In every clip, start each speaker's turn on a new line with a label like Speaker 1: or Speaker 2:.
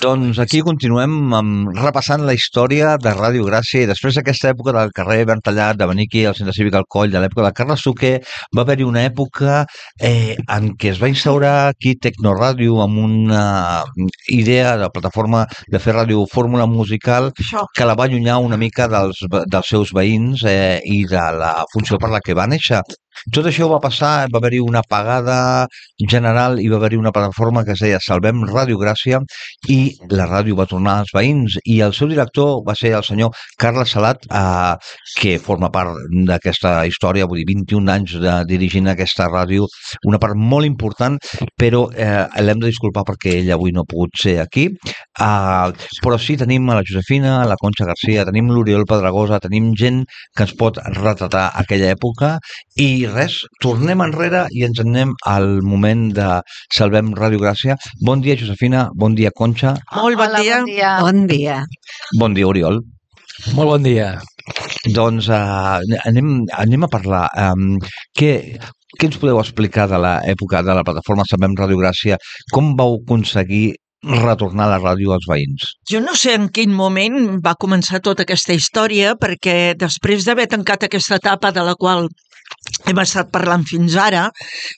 Speaker 1: Doncs aquí continuem repassant la història de Ràdio Gràcia i després d'aquesta època del carrer Bertallat, de venir aquí al Centre Cívic Alcoll, de l'època de Carles Suquer, va haver-hi una època en què es va instaurar aquí Tecnoràdio amb una idea de plataforma de fer ràdio fórmula musical que la va allunyar una mica dels seus veïns i de la funció per la que va néixer. Tot això va passar, va haver-hi una apagada general i va haver-hi una plataforma que es deia Salvem Ràdio Gràcia i la ràdio va tornar als veïns i el seu director va ser el senyor Carles Salat, que forma part d'aquesta història, vull dir, 21 anys dirigint aquesta ràdio, una part molt important, però l'hem de disculpar perquè ell avui no ha pogut ser aquí, però sí tenim a la Josefina, a la Conxa Garcia, tenim l'Oriol Pedregosa, tenim gent que ens pot retratar aquella època i res, tornem enrere i ens anem al moment de Salvem Ràdio Gràcia. Bon dia, Josefina, bon dia, Conxa.
Speaker 2: Molt bon dia.
Speaker 3: Bon dia.
Speaker 1: Bon dia, Oriol.
Speaker 4: Molt bon dia.
Speaker 1: Doncs anem a parlar. Què ens podeu explicar de l'època de la plataforma Salvem Ràdio Gràcia? Com vau aconseguir retornar la ràdio als veïns?
Speaker 2: Jo no sé en quin moment va començar tota aquesta història, perquè després d'haver tancat aquesta etapa de la qual hem estat parlant fins ara,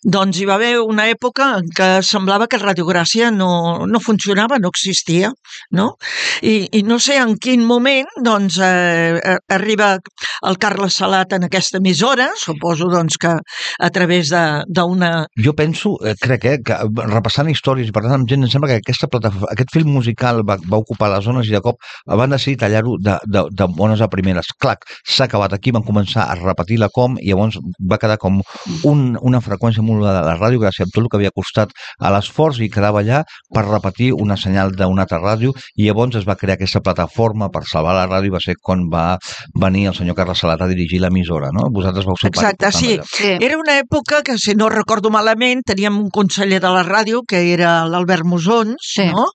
Speaker 2: doncs hi va haver una època en què semblava que Ràdio Gràcia no funcionava, no existia, no? I no sé en quin moment doncs arriba el Carles Salat en aquesta emissora, suposo doncs que a través d'una...
Speaker 1: Jo penso, crec que repassant històries i parlant amb gent, em sembla que aquest film musical va ocupar les zones i de cop van decidir tallar-ho de bones a primeres. Clac, s'ha acabat aquí, van començar a repetir la com i llavors va quedar com una freqüència molt de la ràdio gràcies a tot el que havia costat a l'esforç i quedava allà per repetir una senyal d'una altra ràdio i llavors es va crear aquesta plataforma per salvar la ràdio i va ser quan va venir el senyor Carles Salat a dirigir l'emissora, no? Vosaltres vau ser
Speaker 2: Exacte, sí. Era una època que, si no recordo malament, teníem un conseller de la ràdio que era l'Albert Musons, no?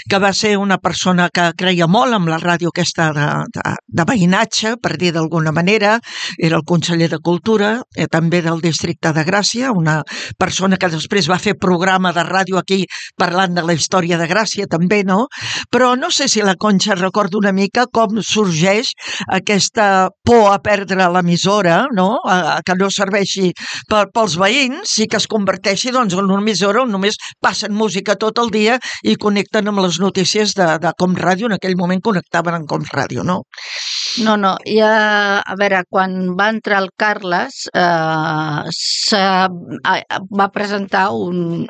Speaker 2: Que va ser una persona que creia molt amb la ràdio aquesta de veïnatge, per dir d'alguna manera, era el conseller de Cultura, també del districte de Gràcia, una persona que després va fer programa de ràdio aquí parlant de la història de Gràcia també, no? Però no sé si la Conxa recorda una mica com sorgeix aquesta por a perdre l'emissora, no? Que no serveixi pels veïns i que es converteixi doncs, en una emissora on només passen música tot el dia i connecten amb les notícies de Com Ràdio, en aquell moment connectaven amb Com Ràdio, no?
Speaker 3: No, ja, a veure, quan va entrar el Carles va presentar un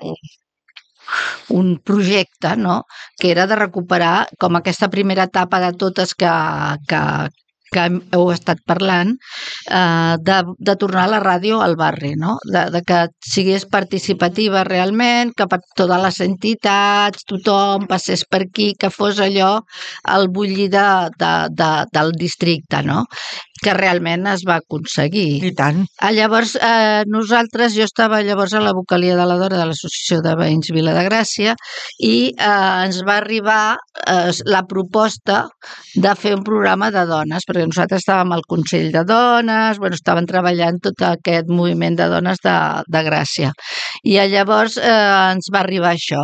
Speaker 3: projecte, no?, que era de recuperar com aquesta primera etapa de totes que heu estat parlant, de tornar la ràdio al barri, no? De que sigués participativa realment, que per totes les entitats, tothom passés per aquí, que fos allò el bullir del districte, no? Que realment es va aconseguir.
Speaker 2: I tant.
Speaker 3: Llavors, jo estava llavors a la vocalia de la Dora de l'Associació de Veïns Vila de Gràcia i ens va arribar la proposta de fer un programa de dones, perquè nosaltres estàvem al Consell de Dones, estàvem treballant tot aquest moviment de dones de Gràcia. I llavors ens va arribar això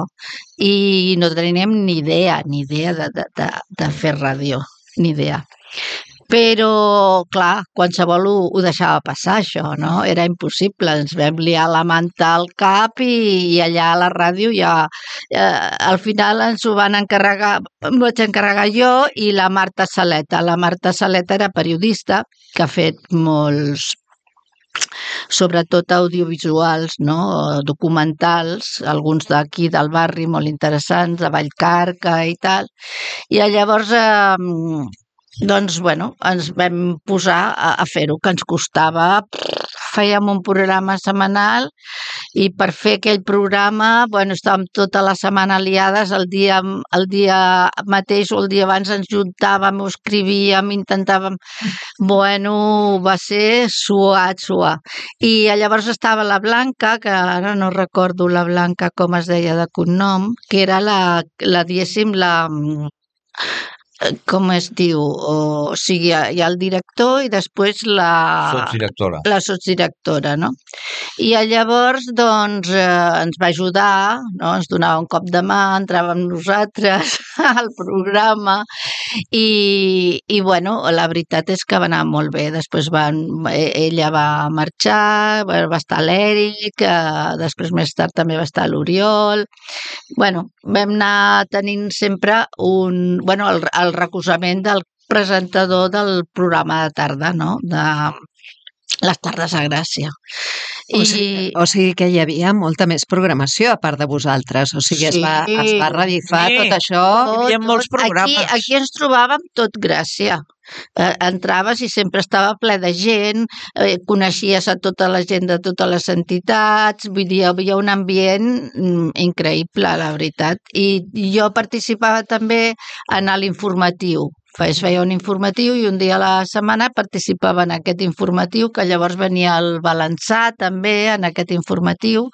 Speaker 3: i no teníem ni idea de fer ràdio, ni idea. Però, clar, qualsevol ho deixava passar, això, no? Era impossible. Ens vam liar la manta al cap i allà a la ràdio ja... al final ens ho van encarregar, em vaig encarregar jo i la Marta Saleta. La Marta Saleta era periodista, que ha fet molts, sobretot audiovisuals, no? Documentals, alguns d'aquí del barri molt interessants, de Vallcarca i tal. I llavors... doncs, ens vam posar a fer-ho, que ens costava, fèiem un programa setmanal i per fer aquell programa, estàvem tota la setmana liades, el dia mateix o el dia abans ens juntàvem, ho escrivíem, intentàvem... va ser suat. I llavors estava la Blanca, que ara no recordo la Blanca com es deia de cognom, que era diguéssim, com es diu, o sigui, hi ha el director i després la sotsdirectora, no? I llavors, doncs, ens va ajudar, no? Ens donava un cop de mà, entràvem nosaltres al programa i bueno, la veritat és que va anar molt bé. Després ella va marxar, va estar l'Èric, després més tard també va estar l'Oriol. Bueno, vam anar tenint sempre el recolzament del presentador del programa de tarda, no? De les tardes a Gràcia.
Speaker 4: O sigui que hi havia molta més programació a part de vosaltres, o sigui, es va revifar tot això.
Speaker 2: Hi havia molts programes.
Speaker 3: Aquí ens trobàvem tot Gràcia. Entraves i sempre estava ple de gent, coneixies a tota la gent de totes les entitats, vull dir, hi havia un ambient increïble, la veritat. I jo participava també en l'informatiu. Es feia un informatiu i un dia a la setmana participava en aquest informatiu, que llavors venia el Balançà també en aquest informatiu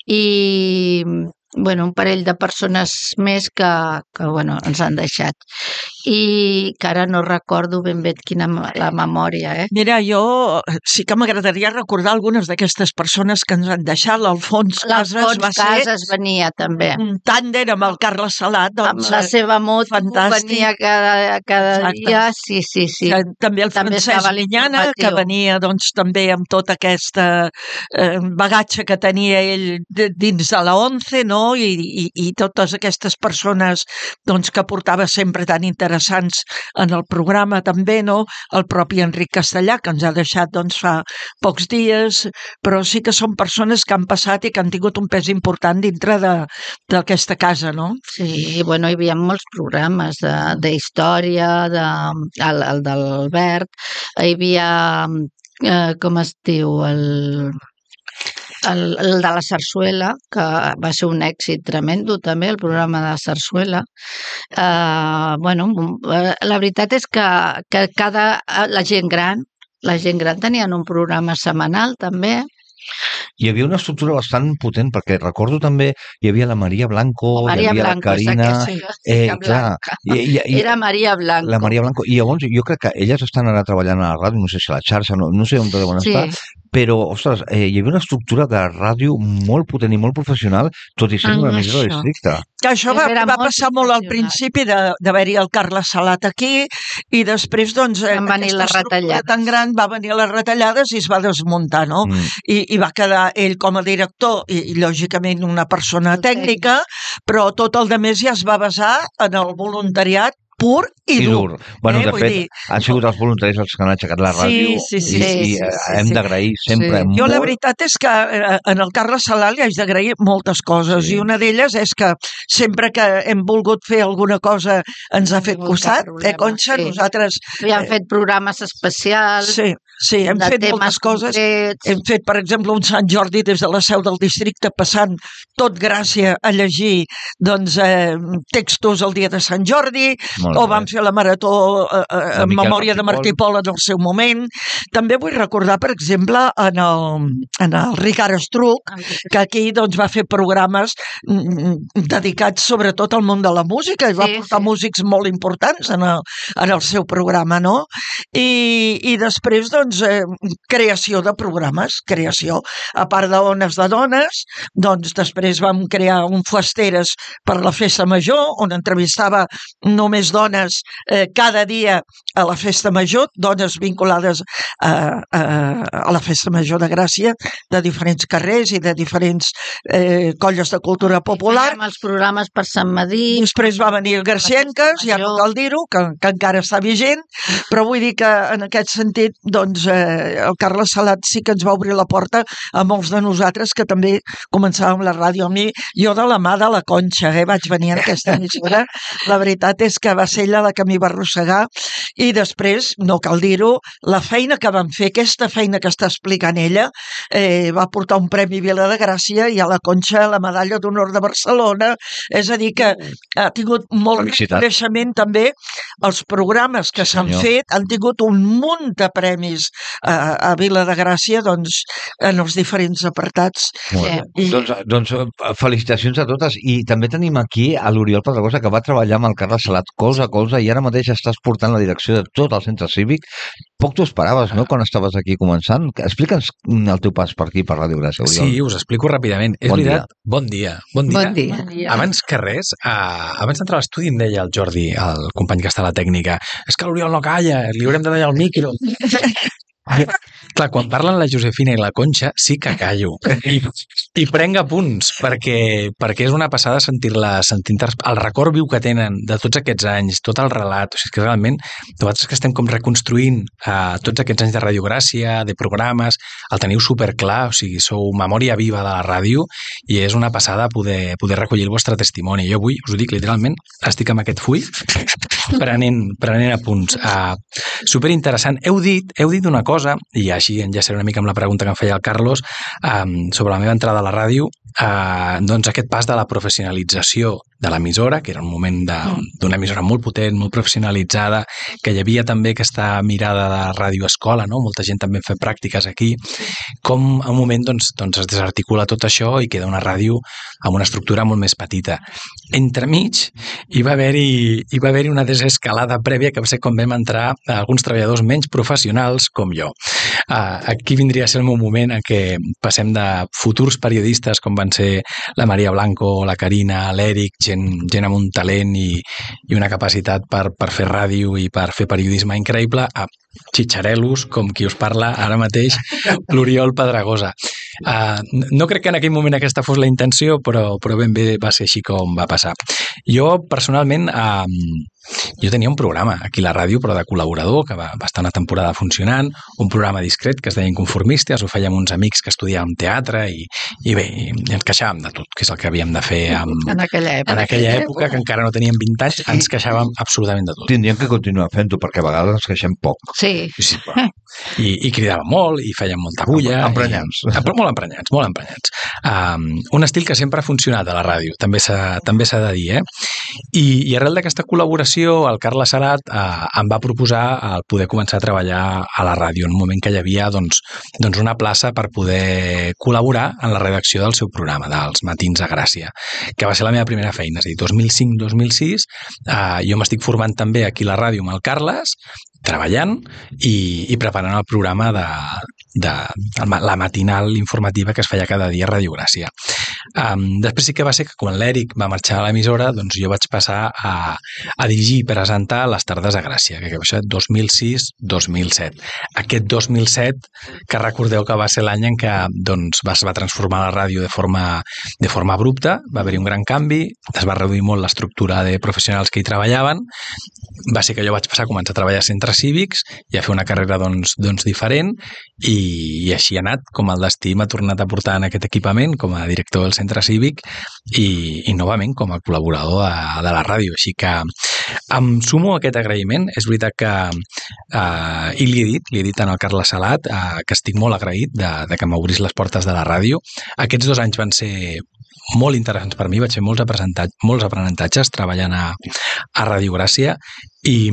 Speaker 3: i un parell de persones més que ens han deixat. I que ara no recordo ben bé quina la memòria,
Speaker 2: Mira, jo sí que m'agradaria recordar algunes d'aquestes persones que ens han deixat. L'Alfons
Speaker 3: Casas venia també.
Speaker 2: Un tàndem amb el Carles Salat.
Speaker 3: Amb la seva moto venia cada dia. Sí.
Speaker 2: També el Francesc Minyana, que venia també amb tot aquest bagatge que tenia ell dins de la ONCE, no? I totes aquestes persones que portava sempre tan interessants en el programa també, no? El propi Enric Castellà, que ens ha deixat fa pocs dies, però sí que són persones que han passat i que han tingut un pes important dintre d'aquesta casa, no?
Speaker 3: Sí, hi havia molts programes d'història, el d'Albert, hi havia, com es diu, el de la Sarsuela, que va ser un èxit tremendo també, el programa de Sarsuela. La veritat és que la gent gran tenien un programa setmanal també.
Speaker 1: Hi havia una estructura bastant potent, perquè recordo també hi havia la Maria Blanco, hi havia la Carina...
Speaker 3: Era Maria Blanco.
Speaker 1: La Maria Blanco. I llavors jo crec que elles estan ara treballant a la ràdio, no sé si a la xarxa, no sé on deuen estar, però, ostres, hi havia una estructura de ràdio molt potent i molt professional, tot i sent una emissora districte.
Speaker 2: Que això va passar molt al principi d'haver-hi el Carles Salat aquí i després,
Speaker 3: van venir les retallades.
Speaker 2: Tan gran va venir les retallades i es va desmuntar, no? I va quedar ell com a director i lògicament una persona tècnica, però tot el demés ja es va basar en el voluntariat pur i dur.
Speaker 1: Bueno, de fet, han sigut els voluntaris els que han aixecat la ràdio i hem d'agrair sempre molt.
Speaker 2: Jo la veritat és que en el Carles Salat li haig d'agrair moltes coses i una d'elles és que sempre que hem volgut fer alguna cosa ens ha fet costat, Conxa? Nosaltres...
Speaker 3: I han fet programes especials.
Speaker 2: Sí, hem fet moltes coses. Hem fet, per exemple, un Sant Jordi des de la seu del districte passant tot Gràcia a llegir textos el dia de Sant Jordi, o vam fer la marató en memòria de Martí Pol en el seu moment. També vull recordar, per exemple, en el Ricard Estruc, que aquí va fer programes dedicats sobretot al món de la música i va portar músics molt importants en el seu programa, no? I després, creació de programes, a part d'Ones de Dones, després vam crear un Fuesteres per la Festa Major, on entrevistava només dones cada dia a la Festa Major, dones vinculades a la Festa Major de Gràcia, de diferents carrers i de diferents colles de cultura popular.
Speaker 3: Fèiem els programes per Sant Madí.
Speaker 2: Després va venir Garcienques, ja no cal dir-ho, que encara està vigent, però vull dir que en aquest sentit, el Carles Salat sí que ens va obrir la porta a molts de nosaltres que també començàvem la ràdio. Jo de la mà de la Conxa vaig venir en aquesta emissora. La veritat és que va ser ella la que m'hi va arrossegar i després, no cal dir-ho, la feina que vam fer, aquesta feina que està explicant ella, va portar un Premi Vila de Gràcia i a la Conxa la Medalla d'Honor de Barcelona. És a dir, que ha tingut molt reconeixement també. Els programes que s'han fet han tingut un munt de premis a Vila de Gràcia, doncs, en els diferents apartats.
Speaker 1: Doncs felicitacions a totes. I també tenim aquí a l'Oriol Pedregosa, que va treballar amb el Carles Salat colze a colze i ara mateix estàs portant la direcció de tot el centre cívic. Poc t'ho esperaves, no?, quan estaves aquí començant. Explica'ns el teu pas per aquí, per Ràdio Gràcia, Oriol.
Speaker 5: Sí, us explico ràpidament. És veritat, bon dia. Abans que res, abans d'entrar a l'estudi em deia el Jordi, el company que està a la tècnica, és que l'Oriol no calla, li haurem de tallar el micro. Clar, quan parlen la Josefina i la Conxa sí que callo i prenc apunts perquè és una passada sentir-la, el record viu que tenen de tots aquests anys, tot el relat. O sigui, que realment nosaltres que estem com reconstruint tots aquests anys de Ràdio Gràcia, de programes, el teniu superclar, o sigui, sou memòria viva de la ràdio i és una passada poder recollir el vostre testimoni. Jo avui, us ho dic literalment, estic amb aquest full prenent apunts. Superinteressant. Heu dit una cosa, i així enllaçaré una mica amb la pregunta que em feia el Carlos sobre la meva entrada a la ràdio, doncs aquest pas de la professionalització de l'emissora, que era un moment d'una emissora molt potent, molt professionalitzada, que hi havia també aquesta mirada de ràdio-escola, no? Molta gent també fa pràctiques aquí, com a un moment doncs es desarticula tot això i queda una ràdio amb una estructura molt més petita. Entremig hi va haver-hi una desescalada prèvia que va ser quan vam entrar alguns treballadors menys professionals com jo. Aquí vindria a ser el meu moment en què passem de futurs periodistes com van ser la Maria Blanco, la Carina, l'Eric, gent amb un talent i una capacitat per fer ràdio i per fer periodisme increïble, a xitxarelos, com qui us parla ara mateix, l'Oriol Pedregosa. No crec que en aquell moment aquesta fos la intenció, però ben bé va ser així com va passar. Jo, personalment, jo tenia un programa aquí a la ràdio, però de col·laborador, que va estar una temporada funcionant, un programa discret que es deia Inconformistes, ho fèiem uns amics que estudiàvem teatre i bé, ens queixàvem de tot, que és el que havíem de fer
Speaker 3: en
Speaker 5: aquella època, que encara no teníem 20 anys, ens queixàvem absolutament de tot.
Speaker 1: Tindríem que continuar fent-ho, perquè a vegades ens queixem poc.
Speaker 3: Sí.
Speaker 5: I cridàvem molt, i fèiem molta bulla.
Speaker 1: Emprenyats.
Speaker 5: Molt emprenyats. Un estil que sempre ha funcionat a la ràdio, també s'ha de dir, I arrel d'aquesta col·laboració, el Carles Salat em va proposar el poder començar a treballar a la ràdio, en un moment que hi havia doncs una plaça per poder col·laborar en la redacció del seu programa, dels Matins a Gràcia, que va ser la meva primera feina, és a dir, 2005-2006, jo m'estic formant també aquí a la ràdio amb el Carles, treballant i preparant el programa de la matinal informativa que es feia cada dia a Ràdio Gràcia. Després sí que va ser que quan l'Eric va marxar a l'emissora, doncs jo vaig passar a dirigir i presentar les tardes a Gràcia, que va ser 2006-2007. Aquest 2007, que recordeu que va ser l'any en què doncs, es va transformar la ràdio de forma abrupta, va haver-hi un gran canvi, es va reduir molt l'estructura de professionals que hi treballaven, va ser que jo vaig passar a començar a treballar a centres cívics i a fer una carrera doncs diferent i així ha anat, com el destí m'ha tornat a portar en aquest equipament com a director del centre cívic i novament com a col·laborador de la ràdio, així que em sumo a aquest agraïment. És veritat que i li he dit en el Carles Salat que estic molt agraït de que m'obrís les portes de la ràdio. Aquests 2 anys van ser molt interessants per mi, vaig fer molts aprenentatges treballant a Ràdio Gràcia i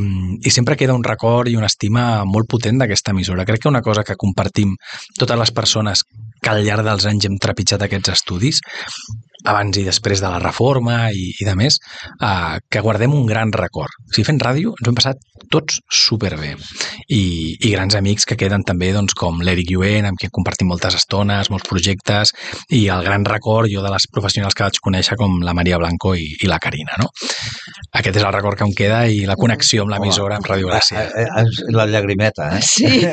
Speaker 5: sempre queda un record i una estima molt potent d'aquesta emissora. Crec que una cosa que compartim totes les persones que al llarg dels anys hem trepitjat aquests estudis, abans i després de la reforma i de més, que guardem un gran record. Si fent ràdio ens ho hem passat tots superbé i grans amics que queden també doncs, com l'Eric Lluent, amb qui compartim moltes estones, molts projectes, i el gran record jo de les professionals que vaig conèixer com la Maria Blanco i la Carina, no? Aquest és el record que em queda i la connexió amb l'emissora, amb Ràdio Gràcia.
Speaker 1: La llagrimeta,
Speaker 4: Sí,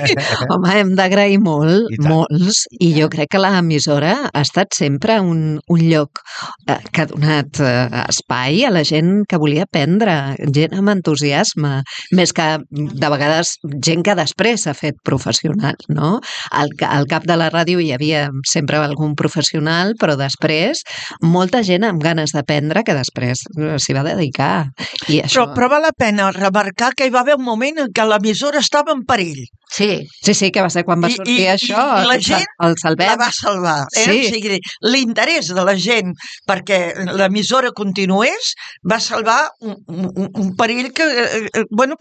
Speaker 4: home, hem d'agrair molts, i jo crec que l'emissora ha estat sempre un lloc que ha donat espai a la gent que volia aprendre, gent amb entusiasme, més que de vegades gent que després s'ha fet professional, no? Al cap de la ràdio hi havia sempre algun professional, però després molta gent amb ganes d'aprendre que després s'hi va dedicar. I això...
Speaker 2: Però val la pena remarcar que hi va haver un moment en què l'emissora estava en perill.
Speaker 3: Sí.
Speaker 4: Sí, que va ser quan va sortir això,
Speaker 2: i la gent
Speaker 4: el salvem.
Speaker 2: la va salvar.
Speaker 4: Sí.
Speaker 2: O sigui, l'interès de la gent perquè l'emissora continués va salvar un perill que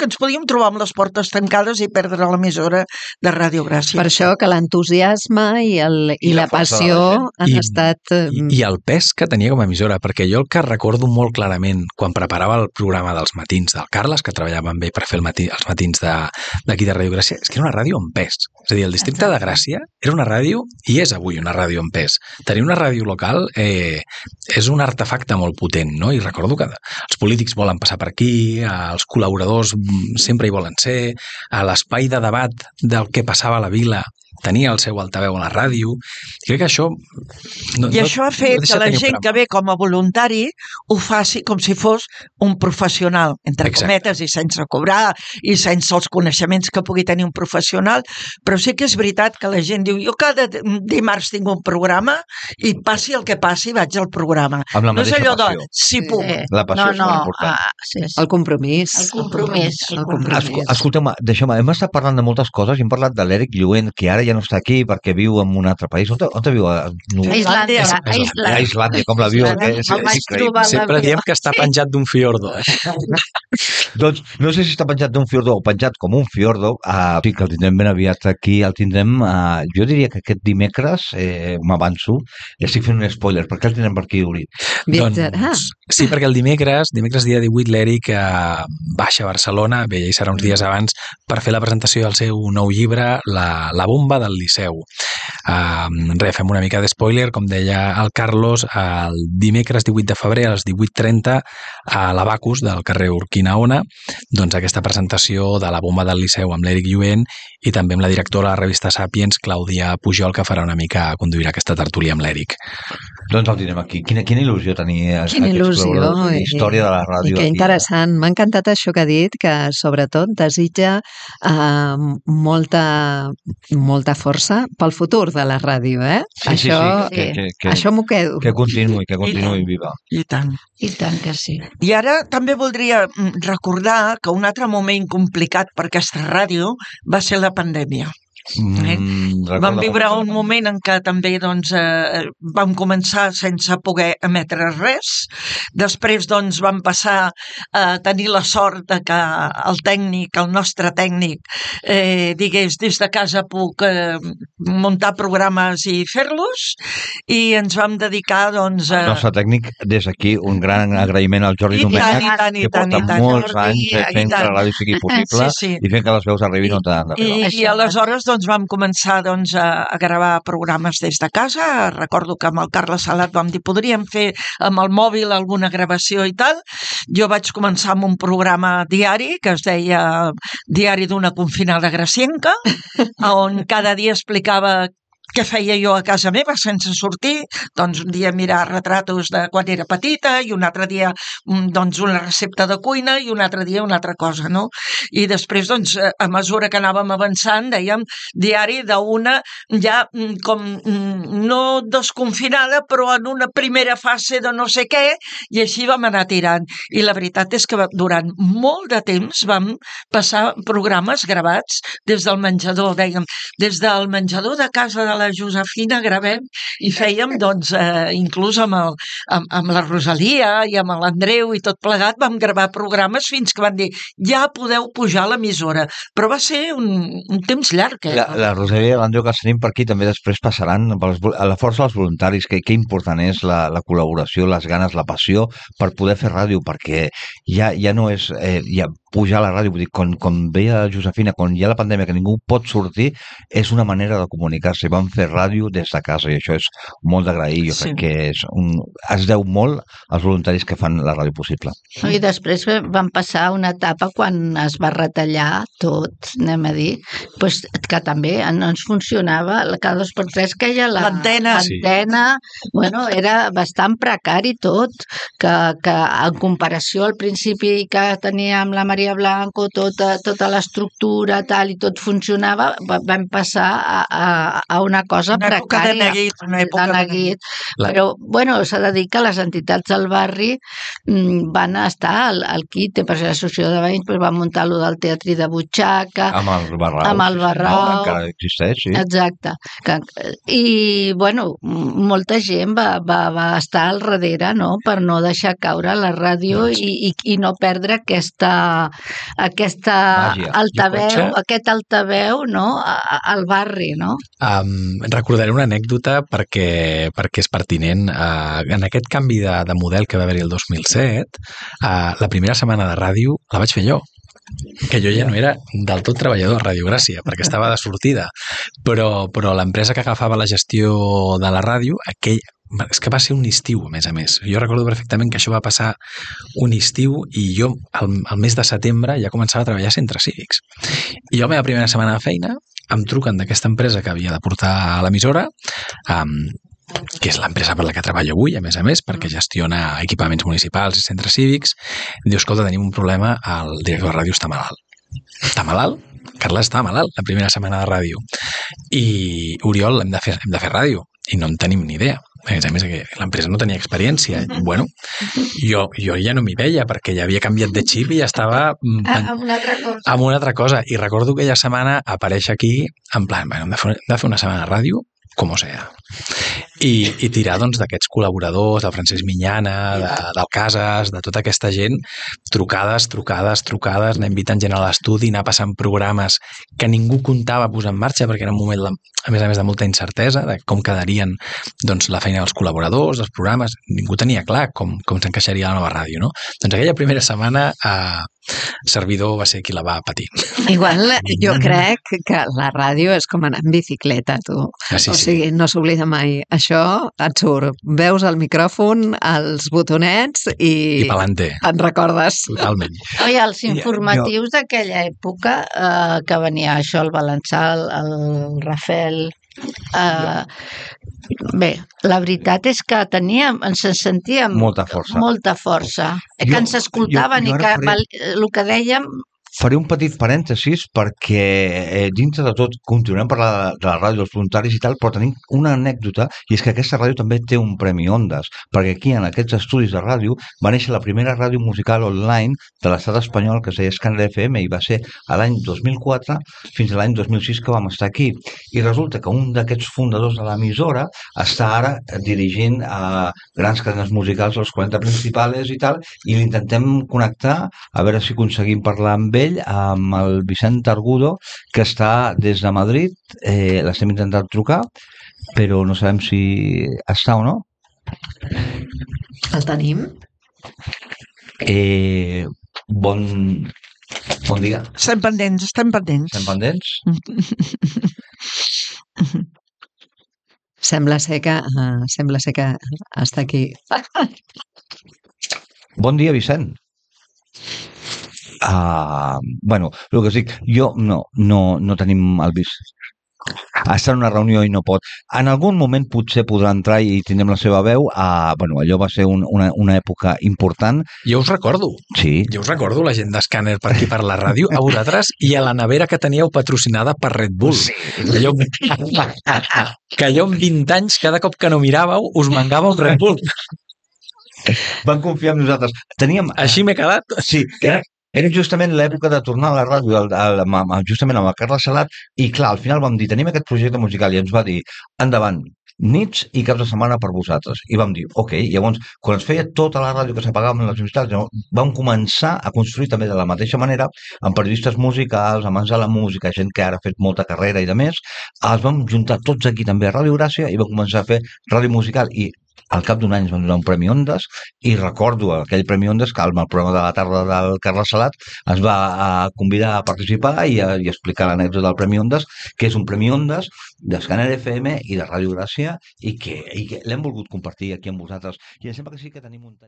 Speaker 2: ens podíem trobar amb les portes tancades i perdre l'emissora de Ràdio Gràcia.
Speaker 4: Per això que l'entusiasme i la passió han estat...
Speaker 5: I el pes que tenia com a emissora, perquè jo el que recordo molt clarament quan preparava el programa dels matins del Carles, que treballava amb ell per fer els matins d'aquí de Ràdio Gràcia, és que era una ràdio amb pes. És a dir, el districte de Gràcia era una ràdio, i és avui una ràdio amb pes. Tenir una ràdio local és un artefacte molt potent, no? I recordo que els polítics volen passar per aquí, els col·laboradors sempre hi volen ser, a l'espai de debat del que passava a la vila tenia el seu altaveu a la ràdio. Crec que això...
Speaker 2: això ha fet que la gent que ve com a voluntari ho faci com si fos un professional, entre cometes, i sense cobrar, i sense els coneixements que pugui tenir un professional, però sí que és veritat que la gent diu, jo cada dimarts tinc un programa i passi el que passi vaig al programa.
Speaker 1: No
Speaker 2: és allò de, si puc.
Speaker 1: La passió és molt important.
Speaker 4: El compromís.
Speaker 1: Escolteu-me, deixeu-me, hem estat parlant de moltes coses i hem parlat de l'Eric Lluent, que ara ja no està aquí perquè viu en un altre país. On viu?
Speaker 3: A Islàndia.
Speaker 1: A Islàndia, com l'avió.
Speaker 5: Sempre diem que està penjat d'un fiordo.
Speaker 1: Doncs no sé si està penjat d'un fiordo o penjat com un fiordo. Sí, que el tindrem ben aviat aquí. El tindrem, jo diria que aquest dimecres, m'avanço, estic fent un spoiler, perquè el tindrem per aquí, Uri.
Speaker 5: Doncs, sí, perquè el dimecres dia 18, l'Eric baixa a Barcelona, bé, ja hi serà uns dies abans, per fer la presentació del seu nou llibre, La bomba del Liceu. Fem una mica de spoiler, com deia el Carlos, el dimecres 18 de febrer a les 18:30 a l'Abacus del carrer Urquinaona, doncs aquesta presentació de La bomba del Liceu amb l'Eric Lluent i també amb la directora de la revista Sàpiens, Clàudia Pujol, que farà una mica conduirà aquesta tertúlia amb l'Eric.
Speaker 1: Doncs el tindrem aquí. Quina il·lusió tenir
Speaker 4: quina il·lusió,
Speaker 1: història de la ràdio.
Speaker 4: I que interessant. M'ha encantat això que ha dit, que sobretot desitja molta força pel futur de la ràdio, això m'ho quedo.
Speaker 1: Que continuï viva.
Speaker 2: I tant.
Speaker 3: I tant que sí.
Speaker 2: I ara també voldria recordar que un altre moment complicat per aquesta ràdio va ser la pandèmia. Vam viure un moment en què també vam començar sense poder emetre res. Després vam passar a tenir la sort de que el nostre tècnic digués, des de casa puc muntar programes i fer-los, i ens vam dedicar
Speaker 1: El nostre tècnic, des d'aquí, un gran agraïment al Jordi Domènech, que porta molts anys fent que la ràdio sigui possible i fent que les veus arribin on han d'arribar.
Speaker 2: I aleshores vam començar a gravar programes des de casa. Recordo que amb el Carles Salat vam dir, podríem fer amb el mòbil alguna gravació i tal. Jo vaig començar amb un programa diari que es deia Diari d'una confinada gracienca, on cada dia explicava què feia jo a casa meva sense sortir. Doncs un dia mirar retratos de quan era petita, i un altre dia una recepta de cuina, i un altre dia una altra cosa, no? I després, a mesura que anàvem avançant, dèiem diari d'una ja com no desconfinada, però en una primera fase de no sé què, i així vam anar tirant. I la veritat és que durant molt de temps vam passar programes gravats des del menjador, dèiem, des del menjador de casa de la Josefina gravem, i fèiem inclús amb la Rosalia i amb l'Andreu i tot plegat vam gravar programes fins que van dir ja podeu pujar a l'emissora, però va ser un temps llarg.
Speaker 1: La Rosalia i l'Andreu que els tenim per aquí també després passaran a la força dels voluntaris, que important és la col·laboració, les ganes, la passió per poder fer ràdio, perquè ja no és pujar a la ràdio, vull dir, com veia Josefina, quan hi ha la pandèmia que ningú pot sortir, és una manera de comunicar-se. Vam fer ràdio des de casa i això és molt d'agrair. Jo crec que es deu molt als voluntaris que fan la ràdio possible.
Speaker 3: I després vam passar una etapa quan es va retallar tot, anem a dir, que també no ens funcionava, cada 2x3 queia l'antena. Bueno, era bastant precari tot, que en comparació al principi que teníem la Maria Maria Blanco, tota l'estructura tal, i tot funcionava, vam passar a una cosa precària.
Speaker 2: Una època de neguit.
Speaker 3: Però, bueno, s'ha de dir que les entitats del barri van estar al quite, per l'associació de veïns va muntar allò del teatrí de butxaca,
Speaker 1: amb el Barrau.
Speaker 3: Amb el Barrau.
Speaker 1: Encara existeix, sí.
Speaker 3: Exacte. I, bueno, molta gent va estar al darrere, no?, per no deixar caure la ràdio i no perdre aquesta altaveu, aquest altaveu, no?, al barri, no?
Speaker 5: Recordaré una anècdota perquè és pertinent. En aquest canvi de model que va haver-hi el 2007, la primera setmana de ràdio la vaig fer jo, que jo ja no era del tot treballador a Ràdio Gràcia, perquè estava de sortida, però l'empresa que agafava la gestió de la ràdio, és que va ser un estiu, a més. Jo recordo perfectament que això va passar un estiu i jo, al mes de setembre, ja començava a treballar a centres cívics. I jo, la meva primera setmana de feina, em truquen d'aquesta empresa que havia de portar a l'emissora, que és l'empresa per la que treballo avui, a més, perquè gestiona equipaments municipals i centres cívics. Diu, escolta, tenim un problema, el director de ràdio està malalt. Està malalt? Carles està malalt la primera setmana de ràdio. I, Oriol, hem de fer ràdio. I no en tenim ni idea. A més, que l'empresa no tenia experiència. Bueno, jo ja no m'hi veia perquè ja havia canviat de xip i ja estava
Speaker 3: amb
Speaker 5: una altra cosa. I recordo aquella setmana aparèixer aquí en plan, hem de fer una setmana de ràdio, com sea. I tirar, doncs, d'aquests col·laboradors, del Francesc Minyana, del Casas, de tota aquesta gent, trucades, anar invitant gent a l'estudi, anar passant programes que ningú comptava posar en marxa, perquè era un moment, a més de molta incertesa, de com quedarien, doncs, la feina dels col·laboradors, els programes, ningú tenia clar com s'encaixaria la nova ràdio, no? Doncs aquella primera setmana servidor va ser qui la va patir.
Speaker 4: Igual jo crec que la ràdio és com anar en bicicleta, tu.
Speaker 5: Sí.
Speaker 4: O sigui, no s'oblida mai. Això et surt. Veus el micròfon, els botonets i
Speaker 5: pelante.
Speaker 4: Et recordes.
Speaker 5: Totalment.
Speaker 3: I els informatius d'aquella època, que venia això, el Balançà, el Rafel... Bé, la veritat és que ens sentíem
Speaker 1: molta força.
Speaker 3: Que ens escoltaven i que el que dèiem...
Speaker 1: Faré un petit parèntesis perquè dintre de tot continuem parlant de la ràdio dels voluntaris i tal, però tenim una anècdota, i és que aquesta ràdio també té un Premi Ondas, perquè aquí en aquests estudis de ràdio va néixer la primera ràdio musical online de l'estat espanyol que es deia Scanner FM i va ser a l'any 2004 fins a l'any 2006 que vam estar aquí. I resulta que un d'aquests fundadors de l'emissora està ara dirigint a grans cadenes musicals, els 40 principals i tal, i l'intentem connectar a veure si aconseguim parlar amb ell, amb el Vicent Argudo, que està des de Madrid. L'estem intentant trucar, però no sabem si està o no.
Speaker 4: El tenim?
Speaker 1: Bon dia.
Speaker 2: Estem pendents.
Speaker 1: Estem pendents?
Speaker 4: Sembla ser que està aquí.
Speaker 1: Bon dia, Vicent. Bueno, el que us dic, jo no tenim el Vicent. Està en una reunió i no pot. En algun moment potser podrà entrar i tindrem la seva veu. Bueno, allò va ser una època important.
Speaker 5: Jo us recordo.
Speaker 1: Sí.
Speaker 5: Jo us recordo la gent d'Escàner per aquí per la ràdio, a vosaltres i a la nevera que teníeu patrocinada per Red Bull.
Speaker 1: Sí.
Speaker 5: Que allò amb 20 anys, cada cop que no miràveu, us mangàveu Red Bull.
Speaker 1: Van confiar en nosaltres. Teníem...
Speaker 5: Així m'he quedat.
Speaker 1: Sí, era justament l'època de tornar a la ràdio, justament amb el Carles Salat, i clar, al final vam dir, tenim aquest projecte musical, i ens va dir, endavant, nits i caps de setmana per vosaltres. I vam dir, ok, llavors, quan es feia tota la ràdio que s'apagava amb les universitats, vam començar a construir també de la mateixa manera, amb periodistes musicals, amants de la música, gent que ara ha fet molta carrera i de més, els vam juntar tots aquí també a Ràdio Gràcia i vam començar a fer ràdio musical i al cap d'un any ens van donar un Premi Ondas i recordo aquell Premi Ondas que al programa de la tarda del Carles Salat es va convidar a participar i explicar l'anècdota del Premi Ondas, que és un Premi Ondas d'Escàner FM i de Ràdio Gràcia i que l'hem volgut compartir aquí amb vosaltres. I em sembla que sí que tenim un tall.